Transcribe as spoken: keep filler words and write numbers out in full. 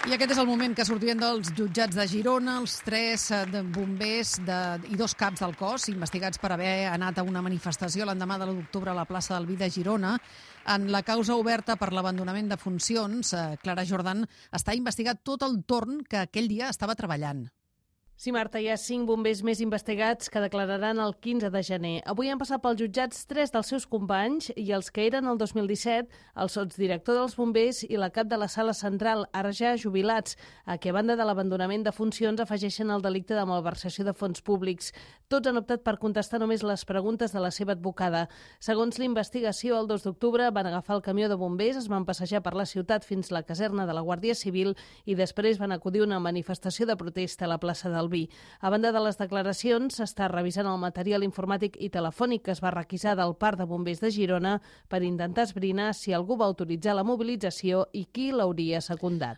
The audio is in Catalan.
I aquest és el moment que sortien dels jutjats de Girona els tres de bombers de, i dos caps del cos investigats per haver anat a una manifestació l'endemà de l'u d'octubre a la plaça del Vi de Girona. En la causa oberta per l'abandonament de funcions, Clara Jordan està investigat tot el torn que aquell dia estava treballant. Sí, Marta, hi ha cinc bombers més investigats que declararan el quinze de gener. Avui han passat pels jutjats tres dels seus companys i els que eren el dos mil disset, el sotsdirector dels bombers i la cap de la sala central, ara ja jubilats, a qui a banda de l'abandonament de funcions afegeixen el delicte de malversació de fons públics. Tots han optat per contestar només les preguntes de la seva advocada. Segons l'investigació, el dos d'octubre van agafar el camió de bombers, es van passejar per la ciutat fins a la caserna de la Guàrdia Civil i després van acudir a una manifestació de protesta a la plaça del Vi. A banda de les declaracions, s'està revisant el material informàtic i telefònic que es va requisar del Parc de Bombers de Girona per intentar esbrinar si algú va autoritzar la mobilització i qui l'hauria secundat.